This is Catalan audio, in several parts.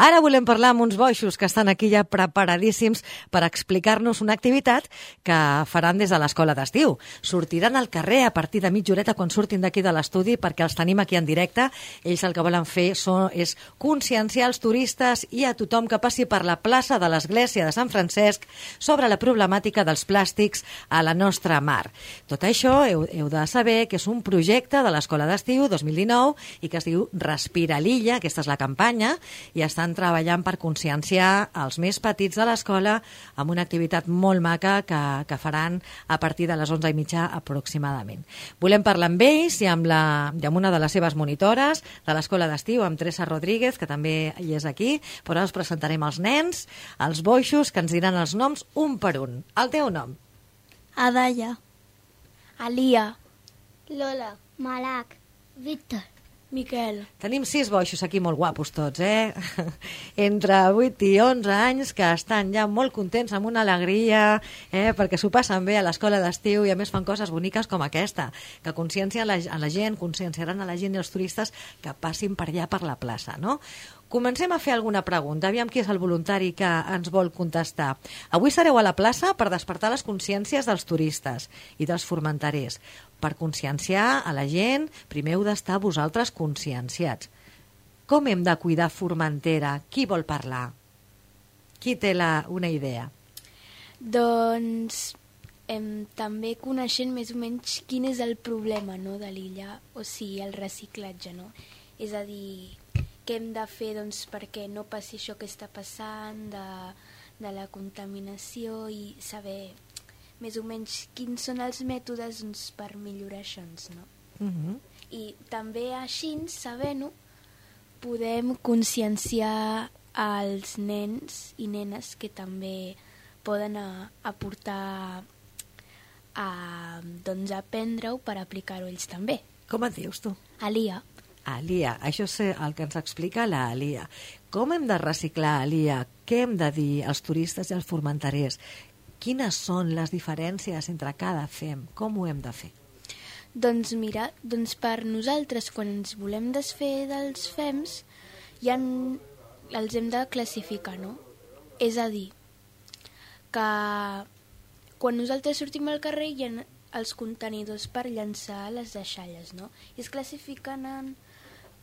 Ara volem parlar amb uns boixos que estan aquí ja preparadíssims per explicar-nos una activitat que faran des de l'escola d'estiu. Sortiran al carrer a partir de mitja horeta quan surtin d'aquí de l'estudi, perquè els tenim aquí en directe. Ells el que volen fer és conscienciar els turistes i a tothom que passi per la plaça de l'Església de Sant Francesc sobre la problemàtica dels plàstics a la nostra mar. Tot això heu de saber que és un projecte de l'Escola d'Estiu 2019 i que es diu Respira l'Illa, aquesta és la campanya, i estan treballant per conscienciar els més petits de l'escola amb una activitat molt maca que faran a partir de les 11:30 aproximadament. Volem parlar amb ells i amb una de les seves monitores de l'Escola d'Estiu, amb Teresa Rodríguez, que també hi és aquí, però ara us presentarem els nens, els boixos, que ens diran els noms un per un. El teu nom? Adaya, Alia, Lola, Malak, Víctor, Miquel. Tenim 6 boixos aquí molt guapos tots, entre 8 i 11 anys, que estan ja molt contents, amb una alegria, perquè s'ho passen bé a l'escola d'estiu i a més fan coses boniques com aquesta, que consciencien a la gent, conscienciaran a la gent i als turistes que passin per allà per la plaça, no? Comencem a fer alguna pregunta. Aviam qui és el voluntari que ens vol contestar. Avui sereu a la plaça per despertar les consciències dels turistes i dels formenterers. Per conscienciar a la gent, primer heu d'estar vosaltres conscienciats. Com hem de cuidar Formentera? Qui vol parlar? Qui té una idea? Doncs també coneixent més o menys quin és el problema, no, de l'illa, o sigui, el reciclatge, no? És a dir, què hem de fer perquè no passi això que està passant de la contaminació i saber més o menys quins són els mètodes per millorar això, no? I també així, sabent-ho, podem conscienciar els nens i nenes que també poden aportar a aprendre-ho per aplicar-ho ells també. Com et dius tu? Alia. Alia, això és el que ens explica l'Alia. Com hem de reciclar, Alia? Què hem de dir als turistes i als formenterers? Quines són les diferències entre cada FEM? Com ho hem de fer? Doncs mira, per nosaltres, quan ens volem desfer dels FEMs, els hem de classificar, no? És a dir, que quan nosaltres sortim al carrer hi ha els contenidors per llançar les deixalles, no? I es classifiquen en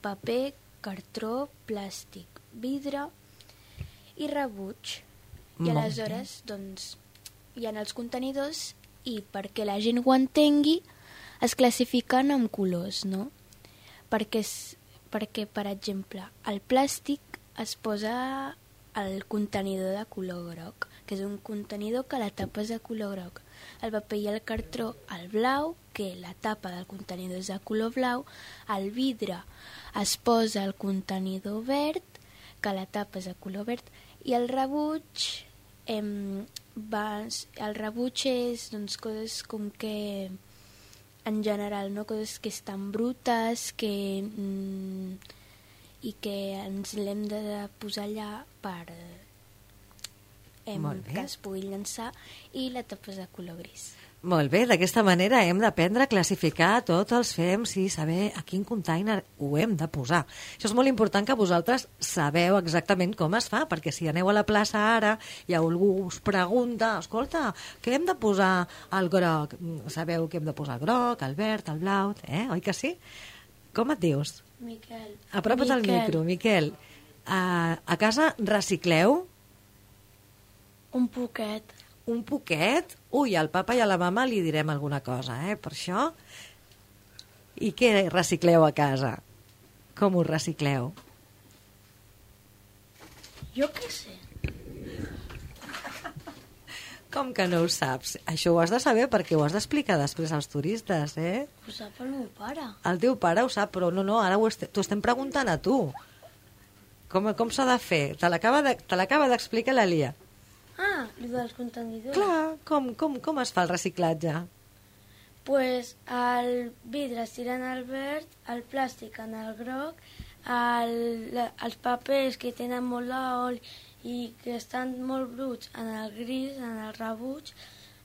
paper, cartró, plàstic, vidre i rebuig. I aleshores, hi ha els contenidors i perquè la gent ho entengui es classifiquen amb colors, no? Perquè, per exemple, el plàstic es posa al contenidor de color groc, que és un contenidor que la tapa és de color groc. El paper i el cartró al blau, que la tapa del contenidor és de color blau. El vidre es posa al contenidor verd, que la tapa és de color verd. I el rebuig, és coses com que, en general, no? Coses que estan brutes, i que ens l'hem de posar allà per que es pugui llançar, i la tapa és de color gris. Molt bé, d'aquesta manera hem d'aprendre a classificar tots els FEMs i saber a quin container ho hem de posar. Això és molt important, que vosaltres sabeu exactament com es fa, perquè si aneu a la plaça ara i algú us pregunta, escolta, què hem de posar al groc? Sabeu que hem de posar el groc, el verd, el blau, oi que sí? Com et dius? Miquel. Apropa't al micro, Miquel. A casa recicleu? Un poquet. Un poquet? Ui, al papa i a la mama li direm alguna cosa, per això. I què recicleu a casa? Com ho recicleu? Jo què sé. Com que no ho saps? Això ho has de saber perquè ho has d'explicar després als turistes, Ho sap el meu pare. El teu pare ho sap, però no, ara t'ho estem preguntant a tu. Com s'ha de fer? Te l'acaba d'explicar l'Alia. Ah, el dels contenidors. Clar, com es fa el reciclatge? Pues el vidre es tira en el verd, el plàstic en el groc, els papers que tenen molt d'oli i que estan molt bruts en el gris, en el rebuig,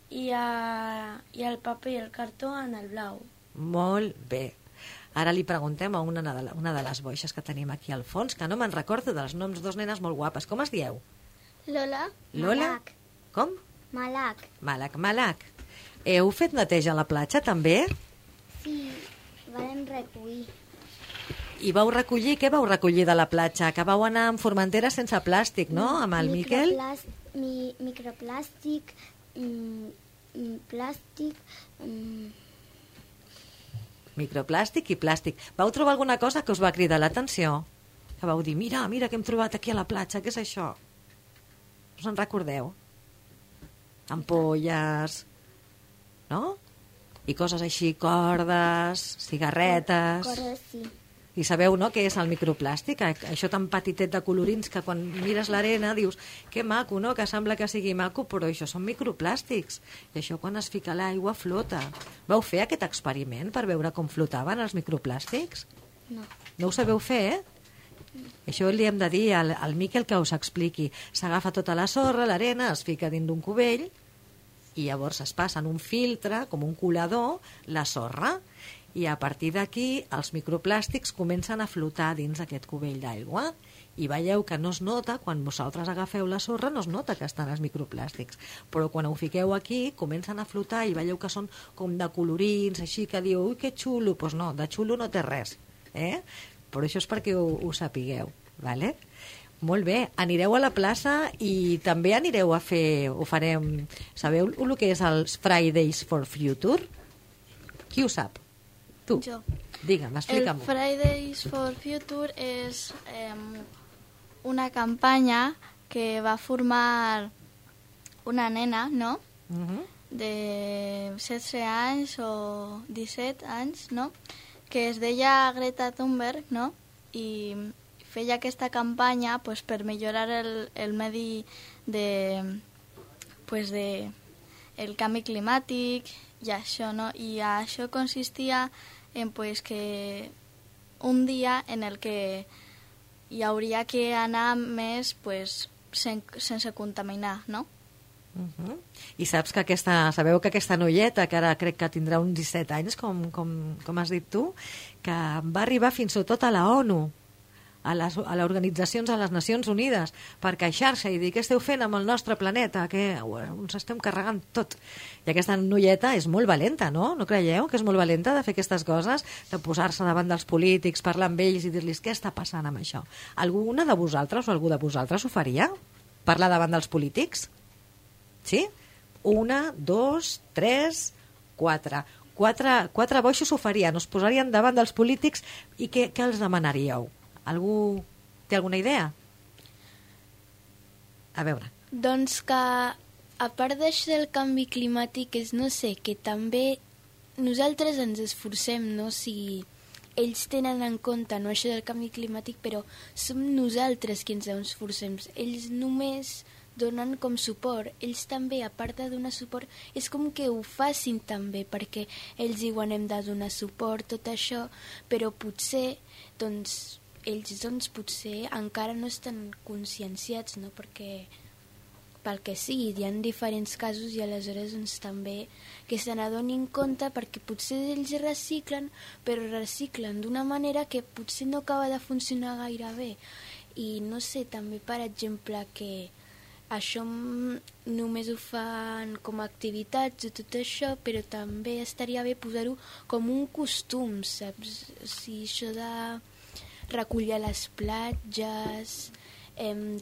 i el paper i el cartó en el blau. Molt bé. Ara li preguntem a una de les boixes que tenim aquí al fons, que no me'n recordo dels noms, dos nenes molt guapes. Com es dieu? Lola? Lola? Malak. Com? Malak. Malak. Heu fet neteja a la platja, també? Sí, vam recollir. I vau recollir, què vau recollir de la platja? Que vau anar amb formenteres sense plàstic, no?, amb el Miquel? Microplàstic, plàstic... Microplàstic i plàstic. Vau trobar alguna cosa que us va cridar l'atenció? Que vau dir, mira que hem trobat aquí a la platja, què és això? Us en recordeu? Ampolles, no? I coses així, cordes, cigarretes... Cordes, sí. I sabeu, no?, què és el microplàstic? Això tan petitet de colorins que quan mires l'arena dius que maco, no?, que sembla que sigui maco, però això són microplàstics. I això quan es fica a l'aigua flota. Vau fer aquest experiment per veure com flotaven els microplàstics? No. No ho sabeu fer, Això li hem de dir al Miquel que us expliqui. S'agafa tota la sorra, l'arena, es fica dins d'un cubell i llavors es passa en un filtre, com un colador, la sorra. I a partir d'aquí els microplàstics comencen a flotar dins aquest cubell d'aigua i veieu que no es nota, quan vosaltres agafeu la sorra no es nota que estan els microplàstics, però quan ho fiqueu aquí comencen a flotar i veieu que són com de colorins, així que diu, ui, que xulo, doncs no, de xulo no té res, però això és perquè ho sapigueu, vale? Molt bé, anireu a la plaça i també anireu a fer, ho farem, sabeu el que és els Fridays for Future? Qui ho sap? Tu. Jo. Digue'm, explica'm-ho. El Fridays for Future és una campanya que va formar una nena, no?, de 16 anys o 17 anys, no?, que es deia Greta Thunberg, no?, i feia aquesta campanya pues, per millorar el medi el canvi climàtic i això, no? I això consistia en pues, que un dia en el que hi hauria que anar més pues, sense contaminar, no? I saps que sabeu que aquesta noieta, que ara crec que tindrà uns 17 anys, com has dit tu, que va arribar fins i tot a la ONU, a les organitzacions de les Nacions Unides, per queixar-se i dir què esteu fent amb el nostre planeta, que ens estem carregant tot. I aquesta noieta és molt valenta, no? No creieu que és molt valenta de fer aquestes coses, de posar-se davant dels polítics, parlar amb ells i dir-los què està passant amb això? Alguna de vosaltres o algú de vosaltres ho faria? Parlar davant dels polítics? Sí? 1, 2, 3, 4. Quatre boixos ho farien, us posarien davant dels polítics i què els demanaríeu? Algú té alguna idea? A veure. Doncs que, a part d'això del canvi climàtic, és, no sé, que també nosaltres ens esforcem, no? Si ells tenen en compte, no, això del canvi climàtic, però som nosaltres qui ens esforcem. Ells només donen com suport. Ells també, a part de donar suport, és com que ho facin també, perquè ells diuen hem de donar suport, tot això, però potser, doncs, ells potser encara no estan conscienciats, no? Perquè pel que sigui, hi ha diferents casos i aleshores doncs, també que se n'adonin compte perquè potser ells reciclen, però reciclen d'una manera que potser no acaba de funcionar gaire bé. I no sé, també per exemple que això només ho fan com a activitats i tot això, però també estaria bé posar-ho com un costum, saps? O sigui, això de recollir les platges,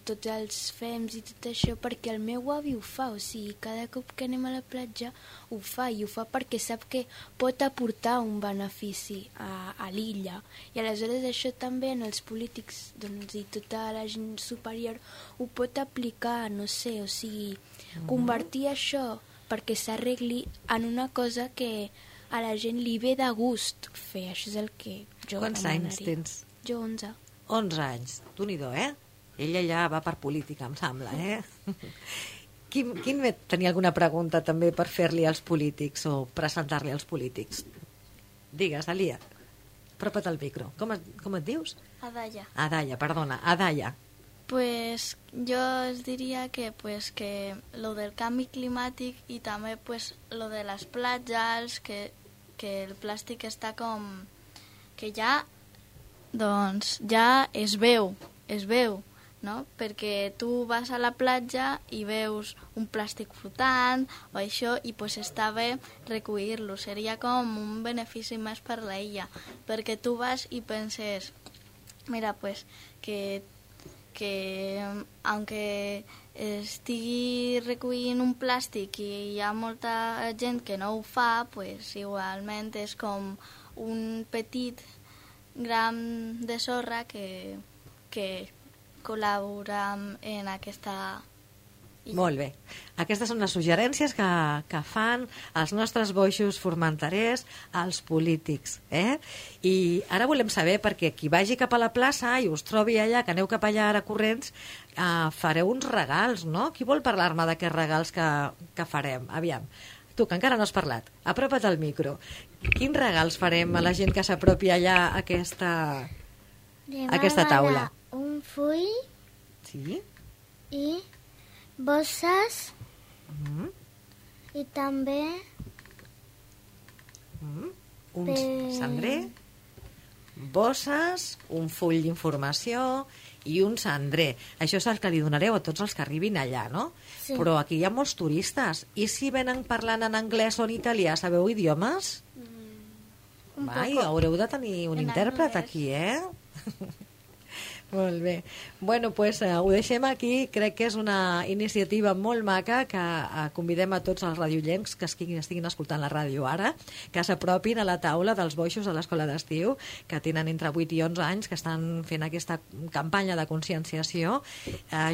tots els fems i tot això, perquè el meu avi ho fa, o sigui, cada cop que anem a la platja ho fa, i ho fa perquè sap que pot aportar un benefici a l'illa, i aleshores això també en els polítics doncs, i tota la gent superior ho pot aplicar, no sé, o sigui, convertir això perquè s'arregli en una cosa que a la gent li ve de gust fer, això és el que jo Quants demanaria. anys tens? Jo 11. 11 anys, d'un-i-do, Ella ja va per política, em sembla, Quin tenia alguna pregunta també per fer-li als polítics o presentar-li als polítics? Digues, Alia, apropa't al micro. Com et dius? Adaya. Adaya, perdona, Adaya. Pues jo es diria que lo del canvi climàtic i també pues lo de les platges, que el plàstic està com que ja, doncs, ja es veu, no? Perquè tu vas a la platja i veus un plàstic flotant o això i pues està bé recollir-lo. Seria com un benefici més per la illa, perquè tu vas i penses, mira, pues que aunque estigui recollint un plàstic i hi ha molta gent que no ho fa, pues igualment és com un petit gram de sorra que col·labora en aquesta... Molt bé. Aquestes són les suggerències que fan els nostres boixos formenterers als polítics. I ara volem saber, perquè qui vagi cap a la plaça i us trobi allà, que aneu cap allà ara corrents, fareu uns regals, no? Qui vol parlar-me d'aquests regals que farem? Aviam. Tu, que encara no has parlat, apropa't al micro. Quins regals farem a la gent que s'apropi allà a aquesta taula? Un full Sí? i bosses i també Un cendrer, bosses, un full d'informació i un cendrer. Això és el que li donareu a tots els que arribin allà, no? Sí. Però aquí hi ha molts turistes. I si venen parlant en anglès o en italià, sabeu idiomes? Haureu de tenir un intèrpret aquí, Molt bé. Bueno, pues ho deixem aquí. Crec que és una iniciativa molt maca que convidem a tots els radiollencs que estiguin escoltant la ràdio ara, que s'apropin a la taula dels boixos de l'escola d'estiu, que tenen entre 8 i 11 anys, que estan fent aquesta campanya de conscienciació.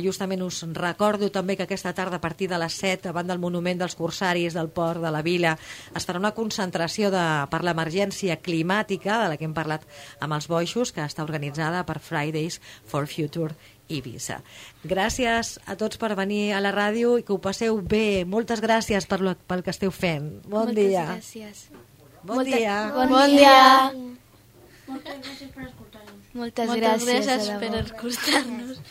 Justament us recordo també que aquesta tarda a partir de les 7, davant del monument dels corsaris del port de la vila, es farà una concentració per l'emergència climàtica, de la que hem parlat amb els boixos, que està organitzada per Fridays for Future Ibiza. Gràcies a tots per venir a la ràdio i que ho passeu bé. Moltes gràcies pel que esteu fent. Bon dia. Moltes gràcies. Bon dia. Bon dia. Moltes gràcies per escoltar-nos. Moltes Moltes gràcies gràcies de per debò. escoltar-nos.